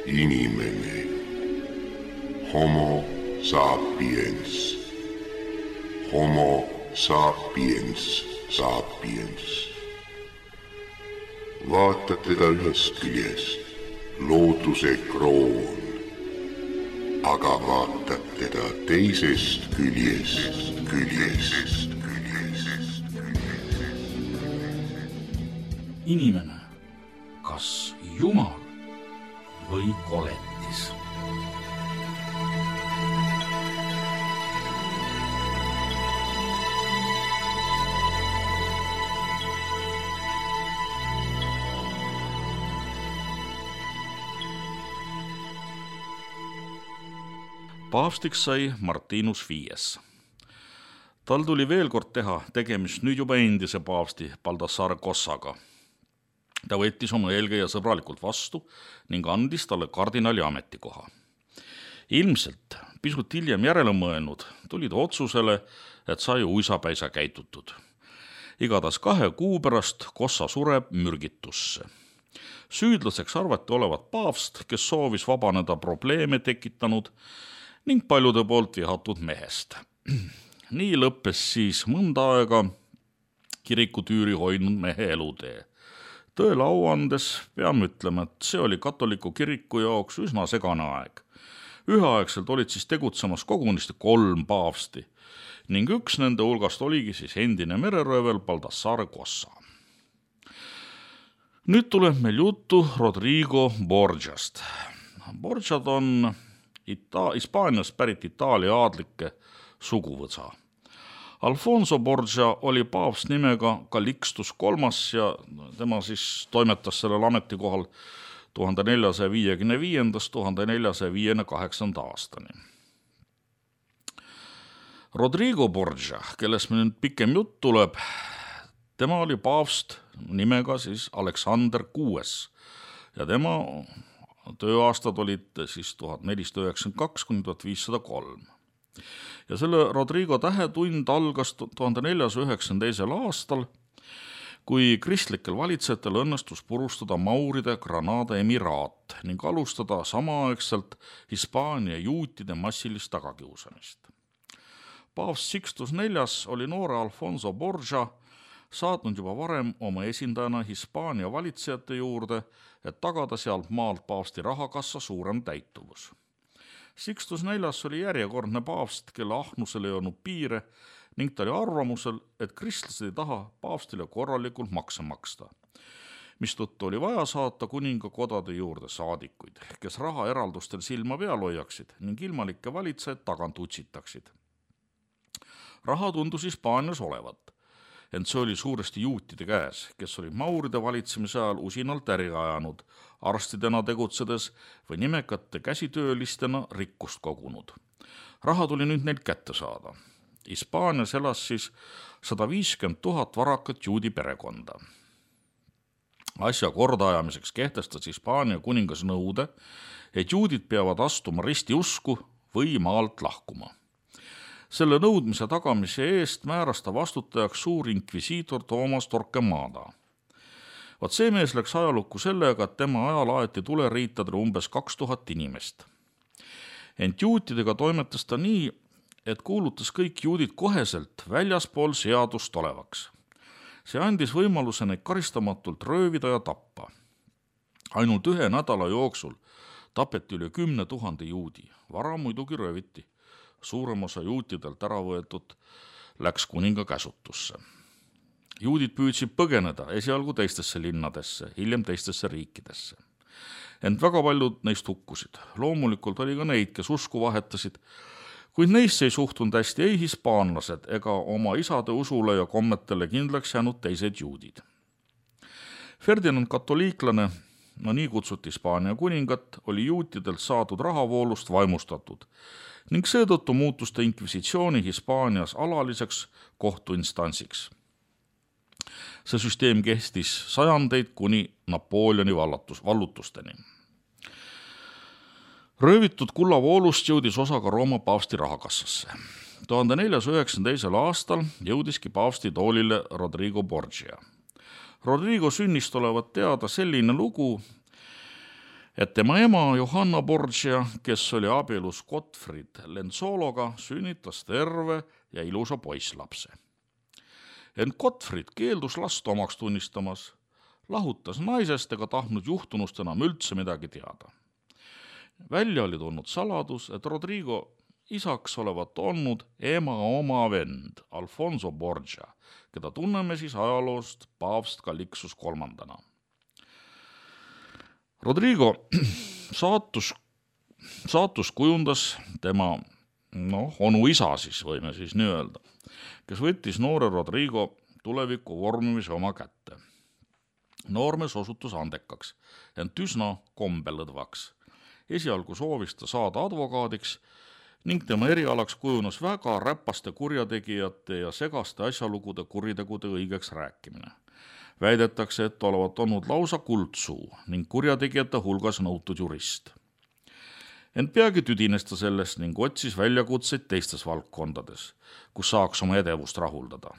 Inimene. Homo sapiens. Homo sapiens sapiens. Vaata teda ühest küljest, looduse kroon, aga vaatad teda teisest küljest. Inimene, kas Jumal või koletis? Paavstiks sai Martinus V. Tal tuli veel kord teha tegemist nüüd juba endise paavsti Baldassare Cossaga. Ta võttis oma eelkäija sõbralikult vastu ning andis talle kardinali ametikoha. Ilmselt pisut hiljem järele mõelnud tuli ta otsusele, et sai uisapäisa käitutud. Igatahes 2 kuu pärast Cossa sureb mürgitusse. Süüdlaseks arvati olevat paavst, kes soovis vabaneda probleeme tekitanud ning paljude poolt vihatud mehest. Nii lõppes siis mõnda aega kirikutüüri hoidnud mehe elutee. Tõele au andes peame ütlema, et see oli katoliku kiriku jaoks üsna segane aeg. Üheaegselt olid siis tegutsemas kogunisti 3 paavsti ning üks nende hulgast oligi siis endine mereröövel Baldassare Cossa. Nüüd tuleb meil juttu Rodrigo Borgiast. Borgiad on Hispaaniast pärit Itaalia aadlike suguvõsa. Alfonso Borgia oli paavst nimega Calixtus III ja tema siis toimetas sellel ametikohal 1455–1458 aastani. Rodrigo Borgia, kellest meil nüüd pikem jutt tuleb, tema oli paavst nimega siis Aleksander VI ja tema tööaastad olid siis 1492–1503. Ja selle Rodrigo tähetund algas 1492. aastal, kui kristlikel valitsejatel õnnestus purustada Mauride Granada emiraat ning alustada samaaegselt Hispaania juutide massilist tagakiusamist. Paavst Sixtus IV oli noore Alfonso Borgia saatnud juba varem oma esindajana Hispaania valitsejate juurde, et tagada sealt maalt paavsti rahakassa suurem täituvus. Sixtus IV oli järjekordne paavst, kelle ahnusel ei olnud piire ning ta oli arvamusel, et kristlased ei taha paavstile korralikult makse maksta, mistõttu oli vaja saata kuningakodade juurde saadikuid, kes rahaeraldustel silma peal hoiaksid ning ilmalikke valitsejaid tagant utsitaksid. Raha tundus Hispaanias olevat, ent see oli suuresti juutide käes, kes olid Mauride valitsemise ajal usinalt äri ajanud, arstidena tegutsedes või nimekate käsitöölistena rikkust kogunud. Raha tuli nüüd neilt kätte saada. Hispaanias elas siis 150 000 varakat juudi perekonda. Asja kordaajamiseks kehtestas Hispaania kuningas nõude, et juudid peavad astuma ristiusku või maalt lahkuma. Selle nõudmise tagamise eest määras ta vastutajaks suur inkvisiitor Thomas Torquemada. Vaat see mees läks ajalukku sellega, et tema ajal aeti tuleriitadele umbes 2000 inimest. Ent juutidega toimetas ta nii, et kuulutas kõik juudid koheselt väljaspool seadust olevaks. See andis võimaluse neid karistamatult röövida ja tappa. Ainult 1 nädala jooksul tapeti üle 10 000 juudi, vara muidugi rööviti. Suurem osa juutidelt ära võetud läks kuninga käsutusse. Juudid püüdsid põgeneda esialgu teistesse linnadesse, hiljem teistesse riikidesse. Ent väga paljud neist hukkusid. Loomulikult oli ka neid, kes usku vahetasid, kuid neisse ei suhtunud hästi ei hispaanlased ega oma isade usule ja kommetele kindlaks jäänud teised juudid. Ferdinand katoliiklane, nii kutsuti Hispaania kuningat, oli juutidelt saadud rahavoolust vaimustatud ning seetõttu muutus ta inkvisitsiooni Hispaanias alaliseks kohtuinstantsiks. See süsteem kestis sajandeid kuni Napoleoni vallutusteni. Röövitud kullavoolust jõudis osa ka Rooma paavsti rahakassasse. 1492. aastal jõudiski paavsti toolile Rodrigo Borgia. Rodrigo sünnist olevat teada selline lugu, et tema ema Johanna Borgia, kes oli abielus Gottfried Lenzologa, sünnitas terve ja ilusa poisslapse. Ent Gottfried keeldus last omaks tunnistamas, lahutas naisest ega tahtnud juhtunust enam üldse midagi teada. Välja oli tulnud saladus, et Rodrigo isaks olevat olnud ema oma vend Alfonso Borgia, keda tunneme siis ajaloost paavst Calixtus III. Rodrigo saatus kujundas tema onu isa siis, võime siis nii öelda, kes võttis noore Rodrigo tuleviku vormimise oma kätte. Noormees osutus andekaks, ent üsna kombelõdvaks. Esialgu soovis ta saada advokaadiks ning tema erialaks kujunes väga räpaste kurjategijate ja segaste asjalugude kuritegude õigeks rääkimine. Väidetakse, et olevat olnud lausa kuldsuu ning kurjategijate hulgas nõutud jurist. Ent peagi tüdines ta sellest ning otsis väljakutseid teistes valdkondades, kus saaks oma edevust rahuldada.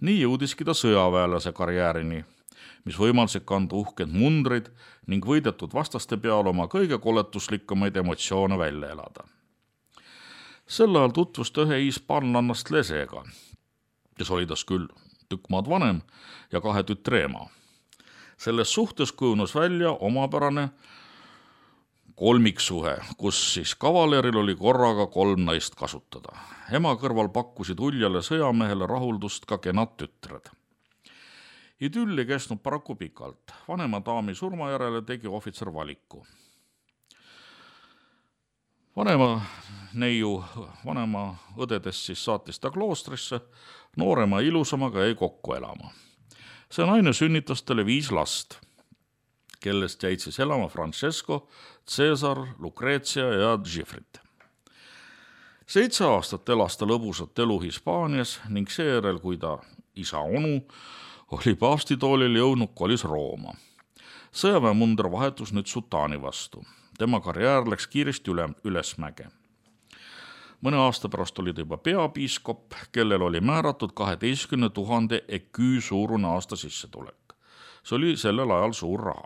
Nii jõudiski ta sõjaväelase karjäärini, mis võimaldasid kanda uhked mundrid ning võidetud vastaste peal oma kõige koletuslikumaid emotsioone välja elada. Sel ajal tutvus ta ühe hispaanlannast Lesega, kes oli tas küll tükk maad vanem ja 2 tütre ema. Selles suhtes kujunes välja omapärane kolmiksuhe, kus siis kavaleril oli korraga 3 naist kasutada. Ema kõrval pakkusid uljale sõjamehele rahuldust ka kenad tütred. Idüll ei kestnud paraku pikalt. Vanema daami surma järele tegi ohvitser valiku. Vanema õdedest siis saatis ta kloostrisse, noorema ilusamaga jäi kokku elama. See naine sünnitas talle 5 last, kellest jäid siis elama Francesco, Cesar, Lucrezia ja Gifrit. 7 aastat elas ta lõbusat elu Hispaanias ning seejärel, kui ta isa onu oli paavstitoolil jõudnud, kolis Rooma. Sõjaväemunder vahetus nüüd sultaani vastu. Tema karjäär läks kiiresti ülesmäge. Mõne aasta pärast oli ta juba peapiiskop, kellel oli määratud 12 000 eküü suurune aasta sissetulek. See oli sellel ajal suur raha.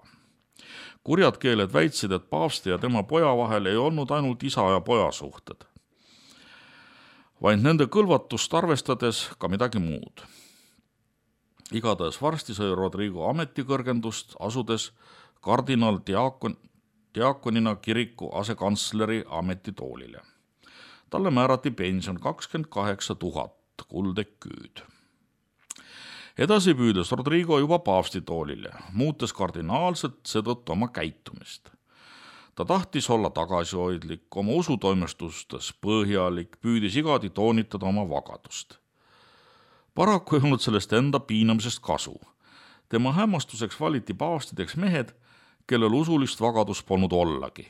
Kurjad keeled väitsid, et paavsti ja tema poja vahel ei olnud ainult isa ja poja suhted, vaid nende kõlvatust arvestades ka midagi muud. Igatahes varsti sai Rodrigo ametikõrgendust, asudes kardinal diakonina kiriku asekantsleri ametitoolile. Talle määrati pension 28 000 kuldeküüd. Edasi püüdes Rodrigo juba paavstitoolile, muutes kardinaalselt seetõttu oma käitumist. Ta tahtis olla tagasihoidlik, oma usutoimestustes põhjalik, püüdis igati toonitada oma vagadust. Paraku ei olnud sellest enda piinamisest kasu. Tema hämmastuseks valiti paavstideks mehed, kellel usulist vagadust polnud ollagi.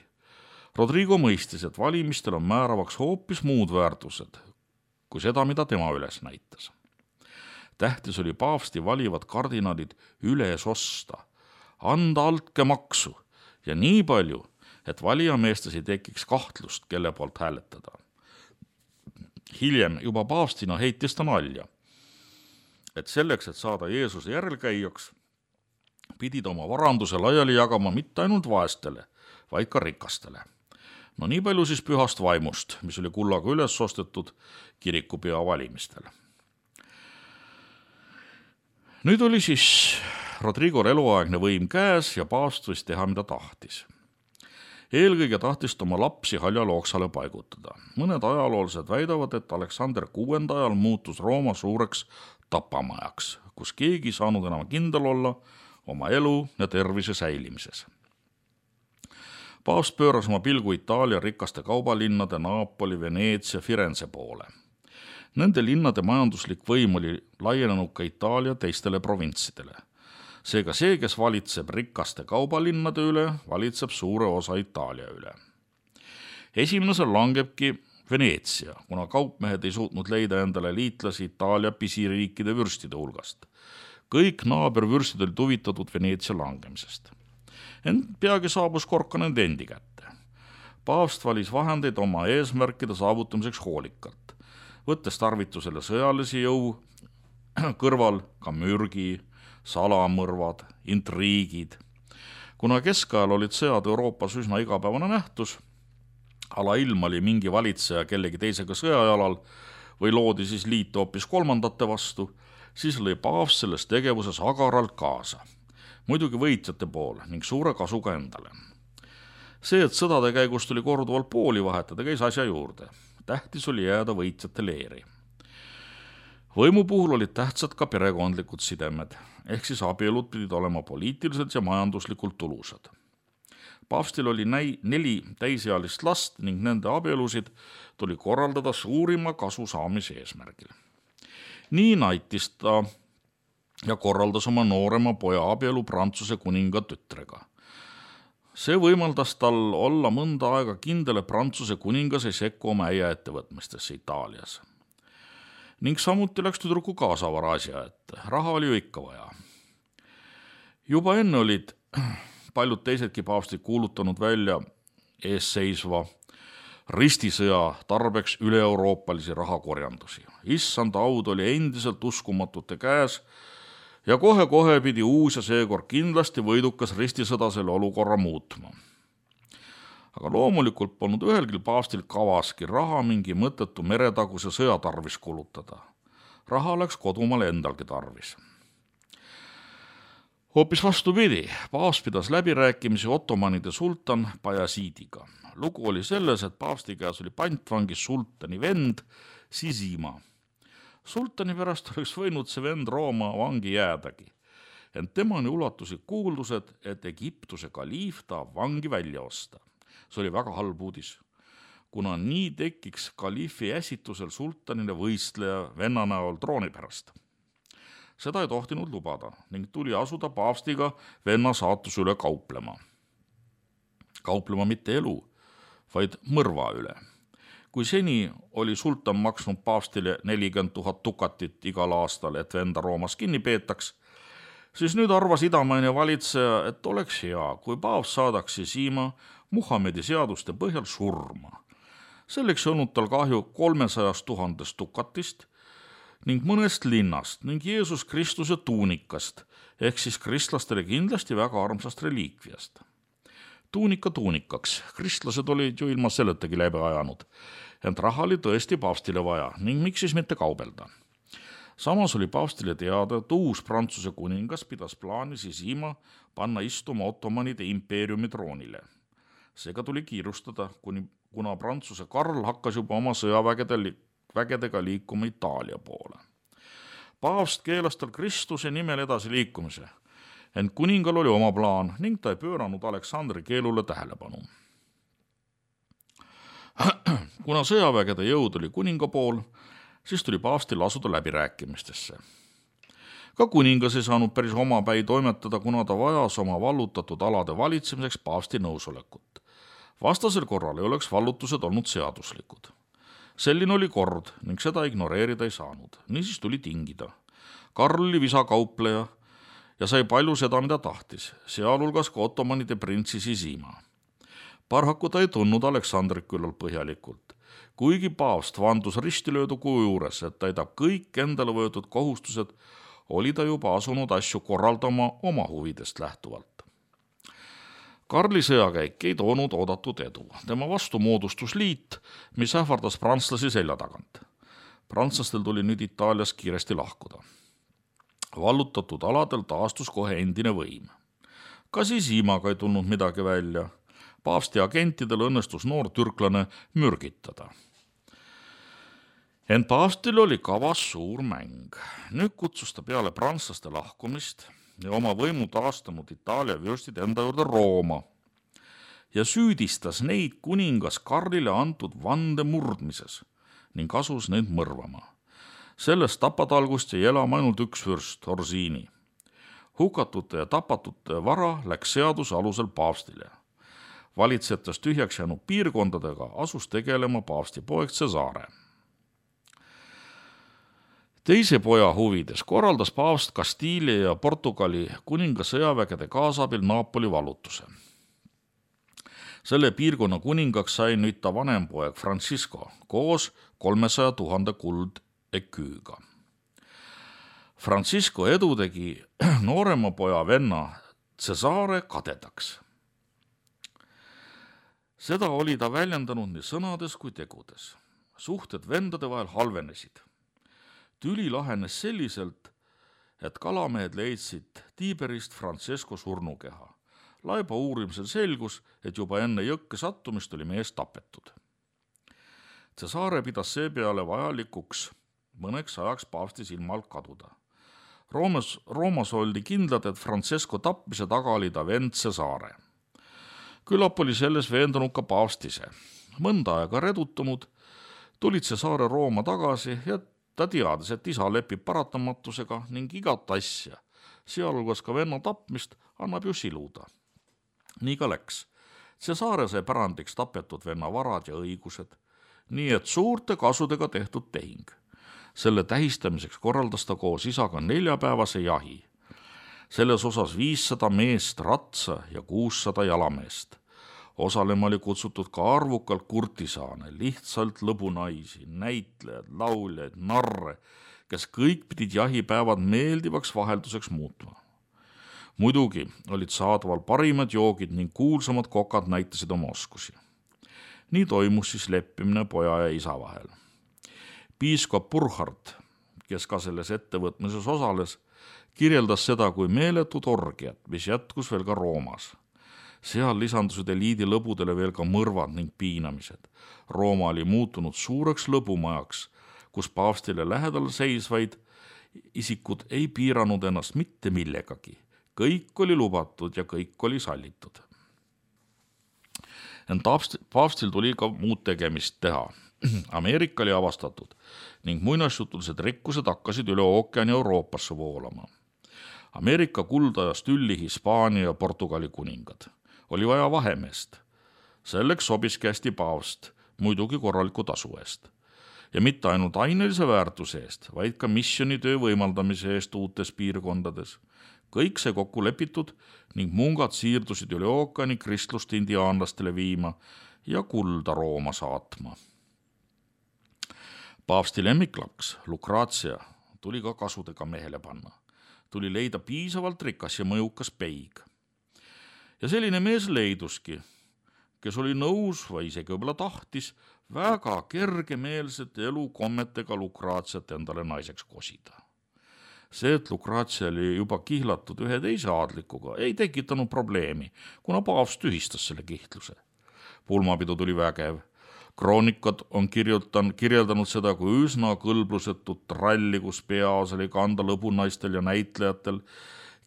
Rodrigo mõistis, et valimistel on määravaks hoopis muud väärtused, kui seda, mida tema üles näitas. Tähtis oli paavsti valivad kardinalid üles osta, anda altkäemaksu ja nii palju, et valijameestes ei tekiks kahtlust, kelle poolt hääletada. Hiljem juba paavstina heitis ta nalja, et selleks, et saada Jeesuse järelkäijaks, pidid oma varanduse laiali jagama mitte ainult vaestele, vaid ka rikastele. No nii palju siis pühast vaimust, mis oli kullaga üles ostetud kirikupea valimistel. Nüüd oli siis Rodrigo eluaegne võim käes ja paavst võis teha, mida tahtis. Eelkõige tahtis ta oma lapsi Haljal-Ooksale paigutada. Mõned ajaloolased väidavad, et Aleksander VI ajal muutus Rooma suureks tapamajaks, kus keegi ei saanud enam kindel olla oma elu ja tervise säilimises. Paavst pööras oma pilgu Itaalia rikaste kaubalinnade Napoli, Veneetsia, Firenze poole. Nende linnade majanduslik võim oli laienenud ka Itaalia teistele provintsidele. Seega see, kes valitseb rikaste kaubalinnade üle, valitseb suure osa Itaalia üle. Esimesel langebki Veneetsia, kuna kaupmehed ei suutnud leida endale liitlasi Itaalia pisiriikide vürstide hulgast. Kõik naabervürstid olid huvitatud Veneetsia langemisest. Ent peagi saabus kord ka nende endi kätte. Paavst valis vahendeid oma eesmärkide saavutamiseks hoolikalt, võttes tarvitusele sõjalisi jõu kõrval ka mürgi, salamõrvad, intriigid. Kuna keskajal olid sõjad Euroopas üsna igapäevane nähtus, alailm oli mingi valitseja kellegi teisega sõjajalal või loodi siis liite hoopis kolmandate vastu, siis lõi paavst selles tegevuses agaralt kaasa. Muidugi võitjate poole ning suure kasuga endale. See, et sõdade käigus tuli korduvalt pooli vahetada, käis asja juurde. Tähtis oli jääda võitjate leeri. Võimu puhul olid tähtsad ka perekondlikud sidemed, ehk siis abielud pidid olema poliitiliselt ja majanduslikult tulusad. Paavstil oli 4 täisealist last ning nende abielusid tuli korraldada suurima kasu saamise eesmärgil. Nii naitis ta ja korraldas oma noorema poja abielu Prantsuse kuninga tütrega. See võimaldas tal olla mõnda aega kindel, et Prantsuse kuningas ei sekku oma äia ettevõtmistesse Itaalias. Ning samuti läks tüdruku kaasavara asja ette. Raha oli ju ikka vaja. Juba enne olid paljud teisedki paavstid kuulutanud välja eesseisva ristisõja tarbeks üle-euroopalisi rahakorjandusi. Issanda aud oli endiselt uskumatute käes ja kohe-kohe pidi uus ja seekord kindlasti võidukas ristisõda selle olukorra muutma. Aga loomulikult polnud ühelgi paavstil kavaski raha mingi mõttetu meretaguse sõja tarvis kulutada. Raha läks kodumaale endalgi tarvis. Hoopis vastupidi, paavst pidas läbirääkimisi ottomanide sultan Bajasiidiga. Lugu oli selles, et paavsti käes oli pantvangis sultani vend Sisima. Sultani pärast oleks võinud see vend Rooma vangi jäädagi, ent temani ulatusid kuuldused, et Egiptuse kaliif tahab vangi välja osta. See oli väga halb uudis, kuna nii tekiks kaliifi äsitusel sultanile võistleja venna näol trooni pärast. Seda ei tohtinud lubada ning tuli asuda paavstiga venna saatuse üle kauplema. Kauplema mitte elu, vaid mõrva üle. Kui seni oli sultan maksnud paavstile 40 000 dukatit igal aastal, et venda Roomas kinni peetaks, siis nüüd arvas idamaine valitseja, et oleks hea, kui paavst saadaks Sisima Muhamedi seaduste põhjal surma. Selleks ei olnud tal kahju 300 000 dukatist ning mõnest linnast ning Jeesus Kristuse tuunikast, ehk siis kristlastele kindlasti väga armsast reliikviast. Tuunika tuunikaks, kristlased olid ju ilma selletagi läbi ajanud, ent raha oli tõesti paavstile vaja ning miks siis mitte kaubelda. Samas oli paavstile teada, et uus Prantsuse kuningas pidas plaani Sisima panna istuma ottomanide impeeriumi troonile. Seega tuli kiirustada, kuna Prantsuse Karl hakkas juba oma sõjavägedega liikuma Itaalia poole. Paavst keelas tal Kristuse nimel edasi liikumise, ent kuningal oli oma plaan ning ta ei pööranud Aleksandri keelule tähelepanu. Kuna sõjavägede jõud oli kuninga pool, siis tuli paavstil asuda läbirääkimistesse. Ka kuningas ei saanud päris omapäi toimetada, kuna ta vajas oma vallutatud alade valitsemiseks paavsti nõusolekut. Vastasel korral ei oleks vallutused olnud seaduslikud. Selline oli kord ning seda ignoreerida ei saanud. Niisiis tuli tingida. Karl oli visakaupleja ja sai palju seda, mida tahtis, sealhulgas ka ottomanide printsi Sisima. Paraku ta ei tundnud Aleksandrit küllalt põhjalikult, kuigi paavst vandus ristilöödu kuu juures, et täidab kõik endale võetud kohustused, oli ta juba asunud asju korraldama oma huvidest lähtuvalt. Karli sõjakäik ei toonud oodatud edu. Tema vastu moodustus liit, mis ähvardas prantslasi selja tagant. Prantslastel tuli nüüd Itaalias kiiresti lahkuda. Vallutatud aladel taastus kohe endine võim. Ka Sisimaga ei tulnud midagi välja. Paavsti agentidel õnnestus noor türklane mürgitada. Ent paavstil oli kavas suur mäng. Nüüd kutsus ta peale prantslaste lahkumist ja oma võimu taastanud Itaalia vürstid enda juurde Rooma ja süüdistas neid kuningas Karlile antud vande murdmises ning asus neid mõrvama. Sellest tapatalgust jäi elama ainult üks vürst, Orsini. Hukatute ja tapatute vara läks seaduse alusel paavstile. Valitsejatest tühjaks jäänud piirkondadega asus tegelema paavsti poeg Cesare. Teise poja huvides korraldas paavst Kastiilia ja Portugali kuninga sõjavägede kaasabil Napoli vallutuse. Selle piirkonna kuningaks sai nüüd ta vanem poeg Francisco koos 300 000 kuldeküüga. Francisco edu tegi noorema poja venna Cesare kadedaks. Seda oli ta väljendanud nii sõnades kui tegudes. Suhted vendade vahel halvenesid. Tüli lahenes selliselt, et kalamehed leidsid Tiberist Francesco surnukeha. Laiba uurimisel selgus, et juba enne jõkke sattumist oli mees tapetud. Cesare pidas seepeale vajalikuks mõneks ajaks paavsti silma alt kaduda. Roomas oldi kindlad, et Francesco tapmise taga oli ta vend Cesare. Küllap oli selles veendunud ka paavst ise. Mõnda aega redutunud tulid Cesare Rooma tagasi ja ta teadis, et isa lepib paratamatusega ning igat asja, sealhulgas ka venna tapmist, annab ju siluda. Nii ka läks. Cesare sai pärandiks tapetud venna varad ja õigused, nii et suurte kasudega tehtud tehing. Selle tähistamiseks korraldas ta koos isaga 4-päevase jahi. Selles osas 500 meest ratsa ja 600 jalameest. Osalema oli kutsutud ka arvukalt kurtisaane, lihtsalt lõbunaisi, näitlejad, lauljaid, narre, kes kõik pidid jahipäevad meeldivaks vahelduseks muutma. Muidugi olid saadaval parimad joogid ning kuulsamad kokad näitasid oma oskusi. Nii toimus siis leppimine poja ja isa vahel. Piiskop Burkhard, kes ka selles ettevõtmises osales, kirjeldas seda kui meeletut orgiat, mis jätkus veel ka Roomas. Seal lisandusid eliidi lõbudele veel ka mõrvad ning piinamised. Rooma oli muutunud suureks lõbumajaks, kus paavstile lähedal seisvaid isikud ei piiranud ennast mitte millegagi. Kõik oli lubatud ja kõik oli sallitud. Ent paavstil tuli ka muud tegemist teha. Ameerika oli avastatud ning muinasjutulised rikkused hakkasid üle ookeani Euroopasse voolama. Ameerika kuldajas tülli Hispaania ja Portugali kuningad. Oli vaja vahemeest. Selleks sobiski hästi paavst, muidugi korraliku tasu eest. Ja mitte ainult ainelise väärtuse eest, vaid ka missionitöö võimaldamise eest uutes piirkondades. Kõik see kokku lepitud ning mungad siirdusid üle ookeani kristlust indiaanlastele viima ja kulda Rooma saatma. Paavsti lemmiklaks, Lucrezia, tuli ka kasudega mehele panna. Tuli leida piisavalt rikas ja mõjukas peig. Ja selline mees leiduski, kes oli nõus või isegi võib-olla tahtis väga kergemeelsete elukommetega Lucreziat endale naiseks kosida. See, et Lucrezia oli juba kihlatud ühe teise aadlikuga, ei tekitanud probleemi, kuna paavst tühistas selle kihtluse. Pulmapidu tuli vägev. Kroonikad on kirjeldanud seda kui üsna kõlblusetut tralli, kus peaos oli kanda lõbunaistel ja näitlejatel,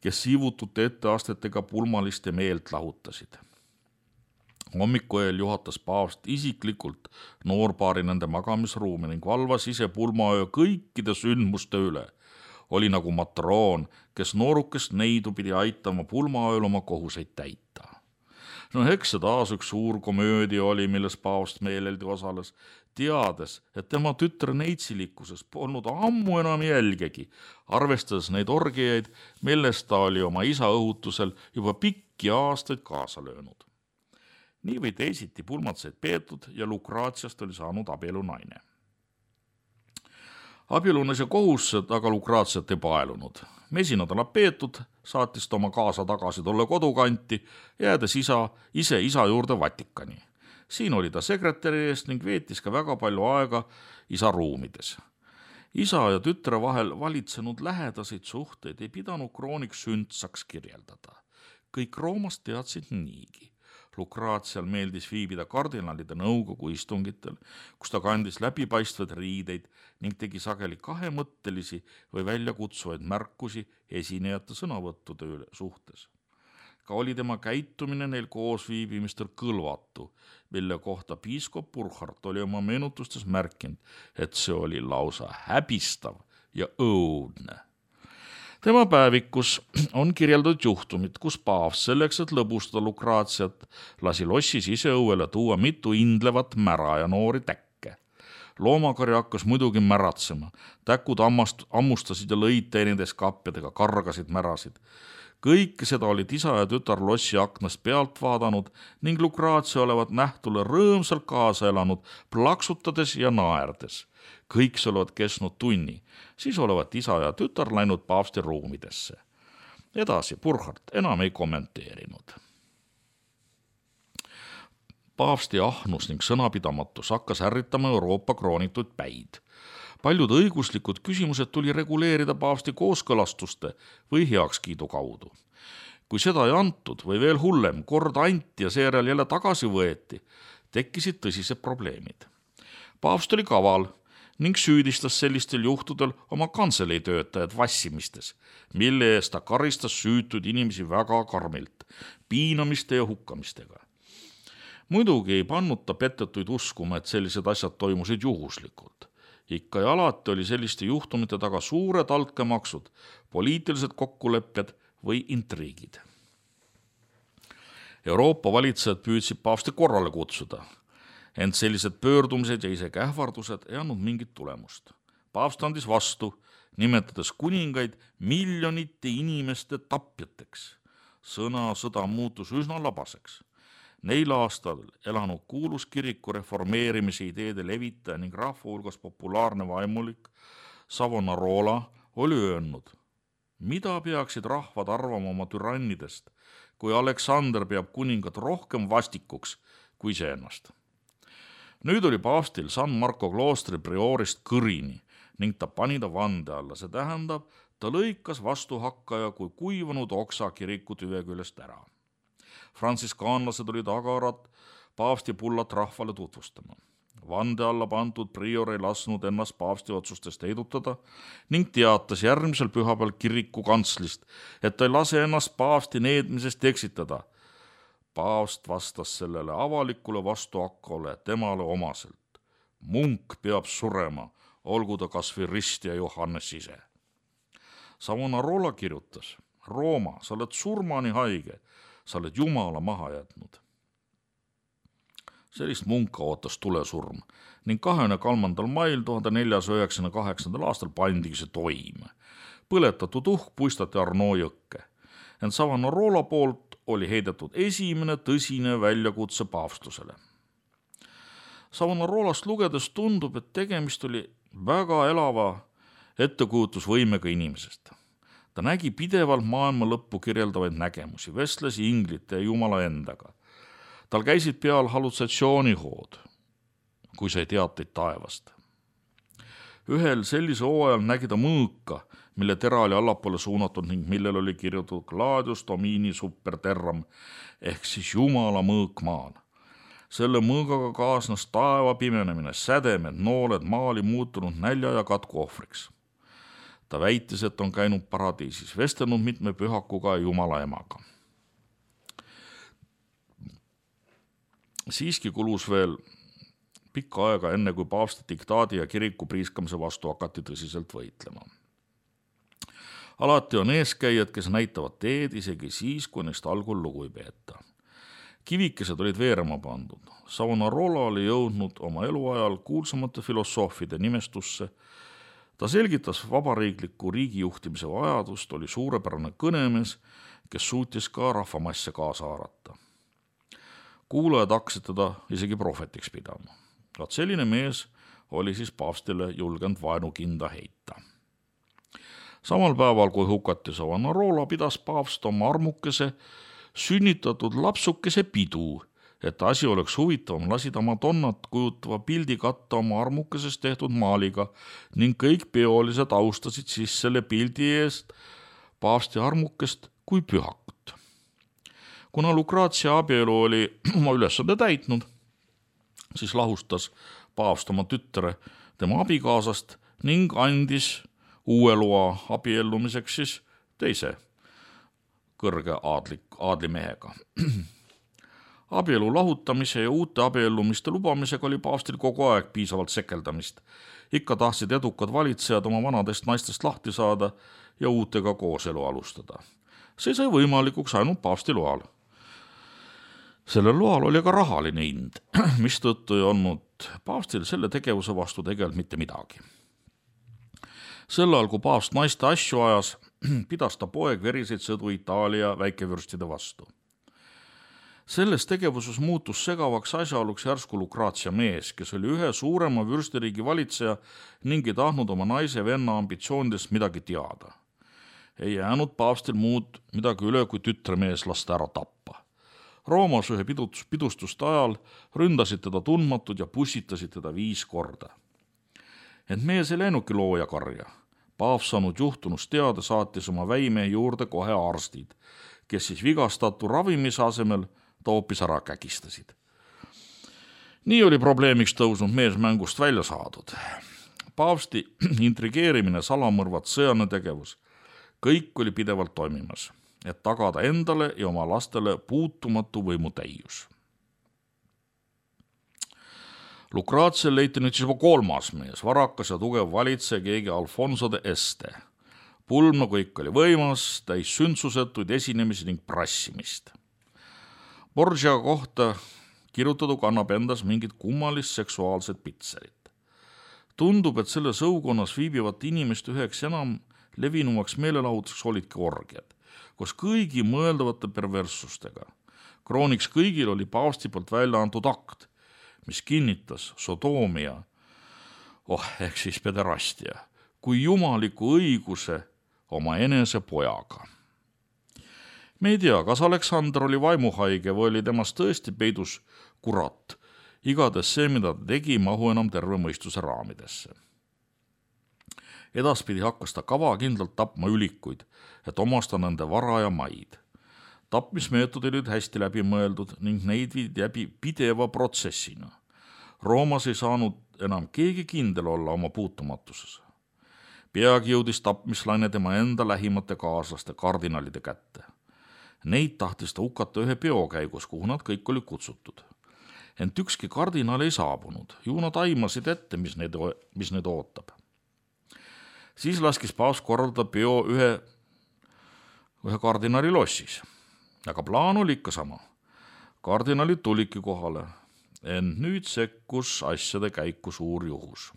kes siivutute etteastetega pulmaliste meelt lahutasid. Hommikuööl juhatas paavst isiklikult noorpaari nende magamisruumi ning valvas ise pulmaöö kõikide sündmuste üle. Oli nagu matroon, kes noorukest neidu pidi aitama pulmaööl oma kohuseid täita. No eks see taas üks suur komöödia oli, milles paavst meeleldi osales, teades, et tema tütre neitsilikkuses polnud ammu enam jälgegi, arvestades neid orgiaid, millest ta oli oma isa õhutusel juba pikki aastaid kaasa löönud. Nii või teisiti pulmad said peetud ja Lucreziast oli saanud abielunaine. Abielunes ja kohustused aga Lucreziat ei paelunud. Mesinadala peetud, saatis ta oma kaasa tagasi tolle kodukanti, jäädes ise isa juurde Vatikani. Siin oli ta sekretäri eest ning veetis ka väga palju aega isa ruumides. Isa ja tütre vahel valitsenud lähedaseid suhteid ei pidanud kroonik sündsaks kirjeldada. Kõik Roomast teadsid niigi. Lucrezial meeldis viibida kardinalide nõukogu istungitel, kus ta kandis läbipaistvaid riideid ning tegi sageli kahemõttelisi või väljakutsuvaid märkusi esinejate sõnavõttude suhtes. Ka oli tema käitumine neil koos viibimistel kõlvatu, mille kohta piiskop Burkhard oli oma meenutustes märkinud, et see oli lausa häbistav ja õudne. Tema päevikus on kirjeldatud juhtumid, kus paavst selleks, et lõbustada Lucreziat, lasi lossis ise õuele tuua mitu indlevat mära ja noori täkke. Loomakari hakkas muidugi märatsema, täkud ammustasid ja lõid teineteist kapjadega, kargasid märasid. Kõike seda olid isa ja tütar lossi aknast pealt vaadanud ning Lucrezia olevat nähtule rõõmsalt kaasa elanud, plaksutades ja naerdes. Kõik see olevat kestnud tunni, siis olevat isa ja tütar läinud paavsti ruumidesse. Edasi Burkhardt enam ei kommenteerinud. Paavsti ahnus ning sõnapidamatus hakkas ärritama Euroopa kroonituid päid. Paljud õiguslikud küsimused tuli reguleerida paavsti kooskõlastuste või heakskiidu kaudu. Kui seda ei antud või veel hullem, kord anti ja seejärel jälle tagasi võeti, tekkisid tõsised probleemid. Paavst oli kaval ning süüdistas sellistel juhtudel oma kantselei töötajad vassimistes, mille eest ta karistas süütuid inimesi väga karmilt, piinamiste ja hukkamistega. Muidugi ei pannud ta petetuid uskuma, et sellised asjad toimusid juhuslikult. Ikka ja alati oli selliste juhtumite taga suured altkäemaksud, poliitilised kokkulepped või intriigid. Euroopa valitsejad püüdsid paavsti korrale kutsuda, ent sellised pöördumised ja isegi ähvardused ei andnud mingit tulemust. Paavst andis vastu, nimetades kuningaid miljonite inimeste tapjateks. Sõda muutus üsna labaseks. Neil aastal elanud kuulus kiriku reformeerimise ideede levitaja ning rahva hulgas populaarne vaimulik Savonarola oli öelnud, mida peaksid rahvad arvama oma türannidest, kui Aleksander peab kuningat rohkem vastikuks kui iseennast. Nüüd oli paavstil San Marco kloostri priorist kõrini ning ta pani ta vande alla, see tähendab, ta lõikas vastuhakkaja kui kuivanud oksa kiriku tüve küljest ära. Frantsiskaanlased olid agarad paavsti pullat rahvale tutvustama. Vande alla pandud prior ei lasknud ennast paavsti otsustest heidutada ning teatas järgmisel pühapäeval kiriku kantslist, et ta ei lase ennast paavsti needmisest eksitada. Paavst vastas sellele avalikule vastuhakkale temale omaselt. Munk peab surema, olgu ta kas või ristja Johannes ise. Savonarola kirjutas, Rooma, sa oled surmani haige, sa oled Jumala maha jätnud. Sellist munka ootas tulesurm ning 23. mail 1498. aastal pandigi see toime. Põletatud uhk puistati Arno jõkke. Ent Savonarola poolt oli heidetud esimene tõsine väljakutse paavstusele. Savonarolast lugedes tundub, et tegemist oli väga elava ettekujutusvõimega inimesest. Ta nägi pidevalt maailma lõppu kirjeldavaid nägemusi, vestles inglite ja Jumala endaga. Tal käisid peal hallutsatsioonihood, kui sai teateid taevast. Ühel sellise hooajal nägi ta mõõka, mille tera oli allapoole suunatud ning millel oli kirjutatud Gladius Domini super terram ehk siis Jumala mõõk maal. Selle mõõgaga kaasnes taeva pimenemine, sädemed, nooled maali muutunud nälja ja katku ohvriks. Ta väitis, et on käinud paradiisis, vestelnud mitme pühakuga ja Jumala emaga. Siiski kulus veel pikka aega enne, kui paavsti diktaadi ja kiriku priiskamise vastu hakati tõsiselt võitlema. Alati on eeskäijad, kes näitavad teed isegi siis, kui neist algul lugu ei peeta. Kivikesed olid veerema pandud. Savonarola oli jõudnud oma eluajal kuulsamate filosoofide nimestusse. Ta selgitas vabariikliku riigijuhtimise vajadust, oli suurepärane kõnemees, kes suutis ka rahvamasse kaasa haarata. Kuulajad hakkasid teda isegi prohvetiks pidama. Vaat selline mees oli siis paavstile julgenud vaenukinda heita. Samal päeval, kui hukati Savonarola, pidas paavst oma armukese sünnitatud lapsukese pidu, et asi oleks huvitavam, lasi ta Madonnat kujutava pildi katta oma armukesest tehtud maaliga ning kõik peolised austasid siis selle pildi eest paavsti armukest kui pühakut. Kuna Lucrezia abielu oli oma ülesande täitnud, siis lahustas paavst oma tütre tema abikaasast ning andis uue loa abiellumiseks siis teise kõrge aadlimehega. Abielu lahutamise ja uute abiellumiste lubamisega oli paavstil kogu aeg piisavalt sekeldamist. Ikka tahtsid edukad valitsejad oma vanadest naistest lahti saada ja uutega kooselu alustada. See sai võimalikuks ainult paavsti loal. Sellel loal oli ka rahaline hind, mistõttu ei olnud paavstil selle tegevuse vastu tegelikult mitte midagi. Sel ajal, kui paavst naiste asju ajas, pidas ta poeg veriseid sõdu Itaalia väikevürstide vastu. Selles tegevuses muutus segavaks asjaoluks järsku Lucrezia mees, kes oli ühe suurema vürstiriigi valitseja ning ei tahtnud oma naise venna ambitsioonidest midagi teada. ei jäänud paavstil muud midagi üle, kui tütremees lasta ära tappa. Roomas ühe pidustuste ajal ründasid teda tundmatud ja pussitasid teda 5 korda. Ent mees ei läinudki looja karja. Paavs saanud juhtunust teada saatis oma väimehe juurde kohe arstid, kes siis vigastatu ravimise asemel ta hoopis ära kägistasid. Nii oli probleemiks tõusnud mees mängust välja saadud. Paavsti intrigeerimine, salamõrvad, sõjaline tegevus, kõik oli pidevalt toimimas, et tagada endale ja oma lastele puutumatu võimutäius. Lucratial leiti nüüd siis juba 3. mees, varakas ja tugev valitseja, keegi Alfonso de Este. Pulm nagu ikka oli võimas, täis sündsusetuid esinemisi ning prassimist. Borgia kohta kirjutatu kannab endas mingit kummalist seksuaalset pitserit. Tundub, et selle sõukonnas viibivate inimeste üheks enam levinumaks meelelahutuseks olidki orgiad, koos kõigi mõeldavate perverssustega. Krooniks kõigil oli paavsti poolt välja antud akt, mis kinnitas sodoomia, ehk siis pederastia, kui jumaliku õiguse oma enese pojaga. Me ei tea, kas Aleksander oli vaimuhaige või oli temast tõesti peidus kurat. Igades see, mida ta tegi, mahu enam terve mõistuse raamidesse. Edaspidi hakkas ta kavakindlalt tapma ülikuid, et omasta nende vara ja maid. Tapmismeetodid olid hästi läbi mõeldud ning neid viidi läbi pideva protsessina. Roomas ei saanud enam keegi kindel olla oma puutumatuses. Peagi jõudis tapmislaine tema enda lähimate kaaslaste kardinalide kätte. Neid tahtis ta hukata ühe peo käigus, kuhu nad kõik oli kutsutud. Ent ükski kardinal ei saabunud, ju nad aimasid ette, mis neid ootab. Siis laskis paavs korraldada peo ühe kardinali lossis. Aga plaan oli ikka sama. Kardinalid tulidki kohale, ent nüüd sekkus asjade käiku suur juhus.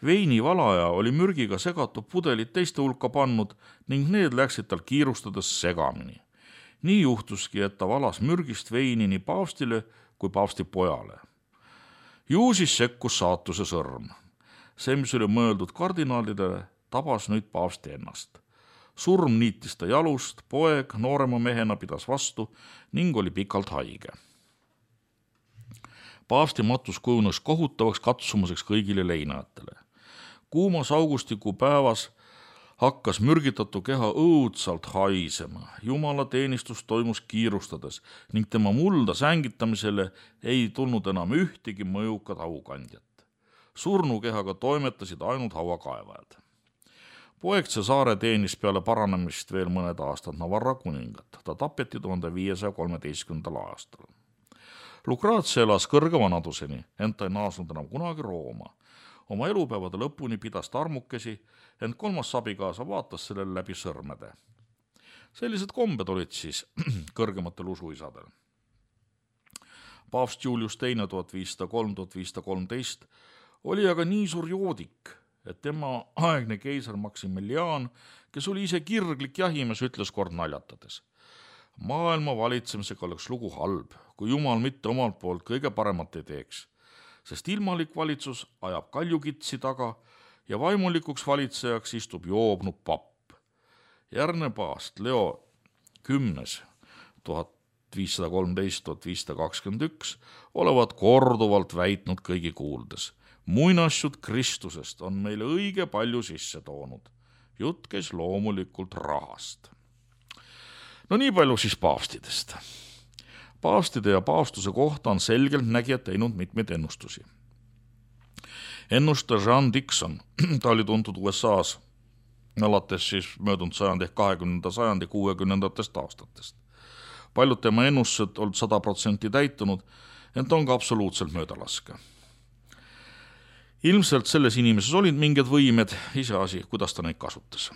Veinivalaja oli mürgiga segatud pudelid teiste hulka pannud ning need läksid tal kiirustades segamini. Nii juhtuski, et ta valas mürgist veini nii paavstile kui paavsti pojale. Ju siis sekkus saatuse sõrm. See, mis oli mõeldud kardinaalidele, tabas nüüd paavsti ennast. Surm niitis ta jalust, poeg noorema mehena pidas vastu ning oli pikalt haige. Paavsti matus kujunes kohutavaks katsumuseks kõigile leinajatele. Kuumas augustikuu päevas hakkas mürgitatu keha õudsalt haisema. Jumala teenistus toimus kiirustades ning tema mulda sängitamisele ei tulnud enam ühtegi mõjukat haukandjat. Surnukehaga toimetasid ainult hauakaevajad. Poeg Cesare teenis peale paranemist veel mõned aastad Navarra kuningat. Ta tapeti 1513. aastal. Lucratial elas kõrge vanaduseni, ent ta ei naasnud enam kunagi Rooma. Oma elupäevade lõpuni pidas ta armukesi, ent 3. abikaasa vaatas sellele läbi sõrmede. Sellised kombed olid siis kõrgematel usuisadel. Paavst Julius II 1503-1513 oli aga nii suur joodik, et tema aegne keiser Maximilian, kes oli ise kirglik jahimees, ütles kord naljatades. Maailma valitsemisega oleks lugu halb, kui Jumal mitte omalt poolt kõige paremat ei teeks, sest ilmalik valitsus ajab kaljukitsi taga ja vaimulikuks valitsejaks istub joobnud papp. Järgne paavst Leo 10. 1513-1521 olevat korduvalt väitnud kõigi kuuldes. Muinasjut Kristusest on meile õige palju sisse toonud. Jutt käis loomulikult rahast. No nii palju siis paavstidest. Paavstide ja paavstuse kohta on selgelt nägijad teinud mitmeid ennustusi. Ennustaja John Dixon, ta oli tuntud USA-s alates siis möödunud sajandi ehk 20. sajandi 60. aastatest. Paljud tema ennustused olid 100% täitunud, ent on ka absoluutselt möödalaske. Ilmselt selles inimeses olid mingid võimed, iseasi, kuidas ta neid kasutas.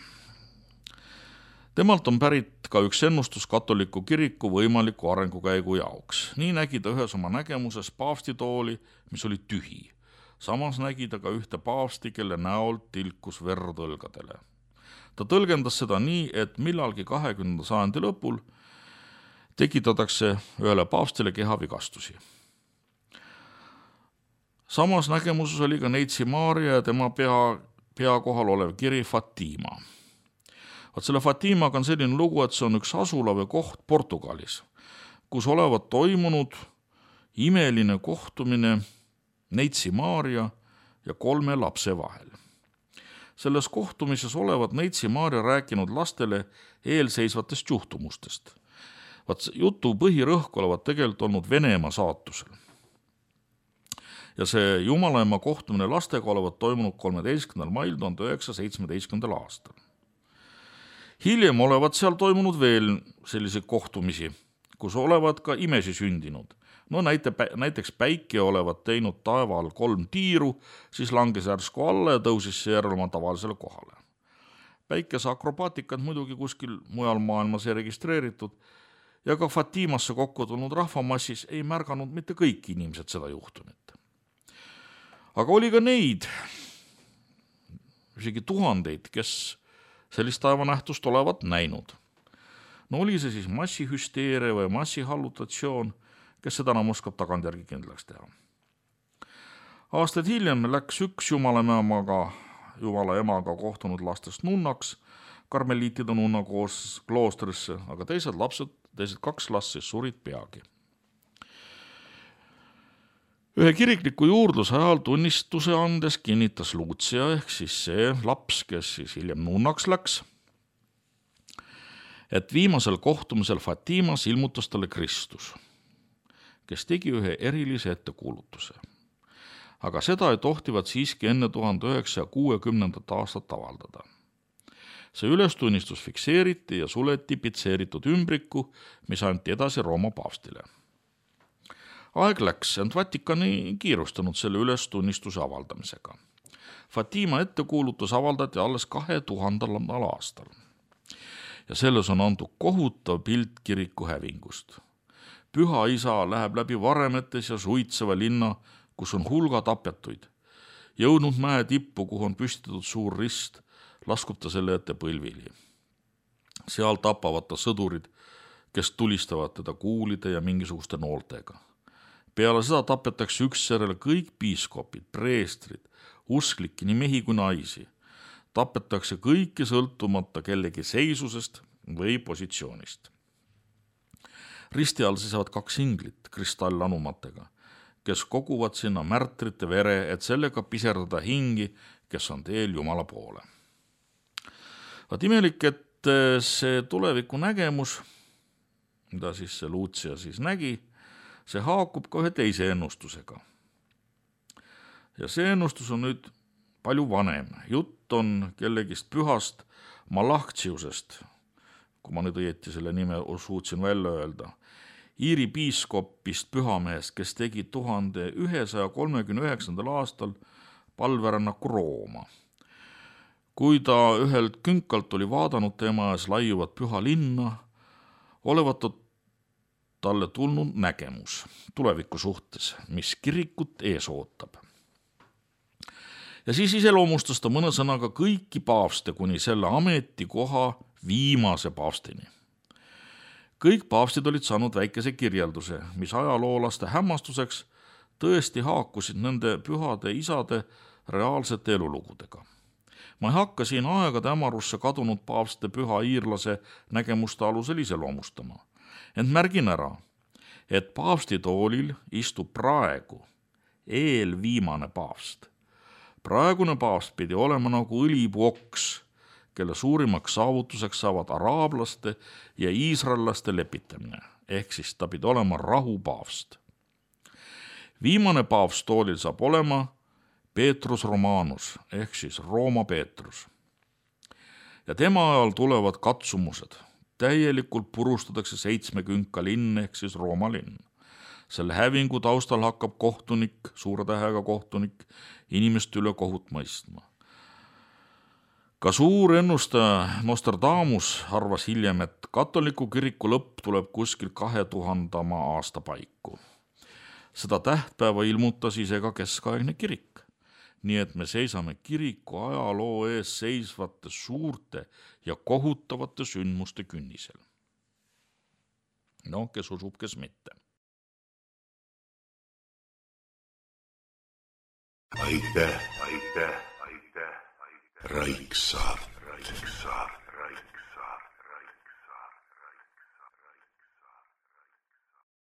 Temalt on pärit ka üks ennustus katoliku kiriku võimaliku arengukäigu jaoks. Nii nägi ta ühes oma nägemuses paavstitooli, mis oli tühi. Samas nägi ta ka ühte paavsti, kelle näolt tilkus verd õlgadele. Ta tõlgendas seda nii, et millalgi 20. sajandi lõpul tekitatakse ühele paavstile kehavigastusi. Samas nägemuses oli ka neitsi Maaria ja tema pea kohal olev kiri Fatima. Selle Fatimaga on selline lugu, et see on üks asula või koht Portugalis, kus olevat toimunud imeline kohtumine neitsi Maarja ja 3 lapse vahel. Selles kohtumises olevat neitsi Maarja rääkinud lastele eelseisvatest juhtumustest. Jutu põhirõhk olevat tegelikult olnud Venemaa saatusel. Ja see Jumalaema kohtumine lastega olevat toimunud 13. mail 1917. aastal. Hiljem olevat seal toimunud veel selliseid kohtumisi, kus olevat ka imesi sündinud. No näiteks päike olevat teinud taeval 3 tiiru, siis langes järsku alla ja tõusis seejärel oma tavalisele kohale. Päikese akrobaatikat muidugi kuskil mujal maailmas ei registreeritud ja ka Fatimasse kokku tulnud rahvamassis ei märganud mitte kõik inimesed seda juhtumit. Aga oli ka neid, isegi tuhandeid, kes sellist taevanähtust olevat näinud. No oli see siis massihüsteeria või massihallutatsioon, kes seda enam oskab tagantjärgi kindlaks teha. Aastaid hiljem läks üks Jumala emaga kohtunud lastest nunnaks karmeliitide nunna kloostrisse, aga teised 2 last siis surid peagi. Ühe kirikliku juurdluse ajal tunnistuse andes kinnitas Lucia ehk siis see laps, kes siis hiljem nunnaks läks, et viimasel kohtumisel Fatimas ilmutas talle Kristus, kes tegi ühe erilise ettekuulutuse. Aga seda ei tohtivat siiski enne 1960. aastat avaldada. See ülestunnistus fikseeriti ja suleti pitseeritud ümbriku, mis anti edasi Rooma paavstile. Aeg läks, ent Vatikan ei kiirustanud selle ülestunnistuse avaldamisega. Fatima ettekuulutus avaldati alles 2000. aastal. Ja selles on antud kohutav pilt kiriku hävingust. Püha isa läheb läbi varemetes ja suitseva linna, kus on hulga tapetuid. Jõudnud mäe tippu, kuhu on püstitatud suur rist, laskub ta selle ette põlvili. Seal tapavad ta sõdurid, kes tulistavad teda kuulide ja mingisuguste nooltega. Peale seda tapetakse ükssärele kõik piiskopid, preestrid, usklikke, nii mehi kui naisi. Tapetakse kõiki sõltumata kellegi seisusest või positsioonist. Risti all seisavad 2 inglit kristallanumatega, kes koguvad sinna märtrite vere, et sellega piserdada hingi, kes on teel Jumala poole. Vaat imelik, et see tuleviku nägemus, mida siis see Lucia siis nägi, see haakub ka ühe teise ennustusega. Ja see ennustus on nüüd palju vanem. Jutt on kellegist pühast Malachtsiusest, kui ma nüüd õieti selle nime suutsin välja öelda, Iiri piiskopist pühamehest, kes tegi 1139. aastal palverännaku Rooma. Kui ta ühelt künkalt oli vaadanud tema ees laiuvat püha linna, olevat talle tulnud nägemus tuleviku suhtes, mis kirikut ees ootab. Ja siis iseloomustas ta mõne sõnaga kõiki paavste kuni selle ametikoha viimase paavstini. Kõik paavstid olid saanud väikese kirjelduse, mis ajaloolaste hämmastuseks tõesti haakusid nende pühade isade reaalsete elulugudega. Ma ei hakka siin aegade hämarusse kadunud paavste püha iirlase nägemuste alusel iseloomustama, ent märgin ära, et paavsti toolil istub praegu eelviimane paavst. Praegune paavst pidi olema nagu õlipuu-oks, kelle suurimaks saavutuseks saavad araablaste ja iisraellaste lepitamine, ehk siis ta pidi olema rahupaavst. Viimane paavst toolil saab olema Petrus Romanus ehk siis Rooma Peetrus. Ja tema ajal tulevad katsumused. Täielikult purustatakse 7 künka linn ehk siis Rooma linn. Selle hävingu taustal hakkab kohtunik, suure tähega kohtunik, inimeste üle kohut mõistma. Ka suur ennustaja Nostradamus arvas hiljem, et katoliku kiriku lõpp tuleb kuskil 2000. aasta paiku. Seda tähtpäeva ilmutas ise ka keskaegne kirik. Nii et me seisame kiriku ajaloo ees seisvate suurte ja kohutavate sündmuste künnisel. No, kes usub, kes mitte. Aitäh. Raiksaart.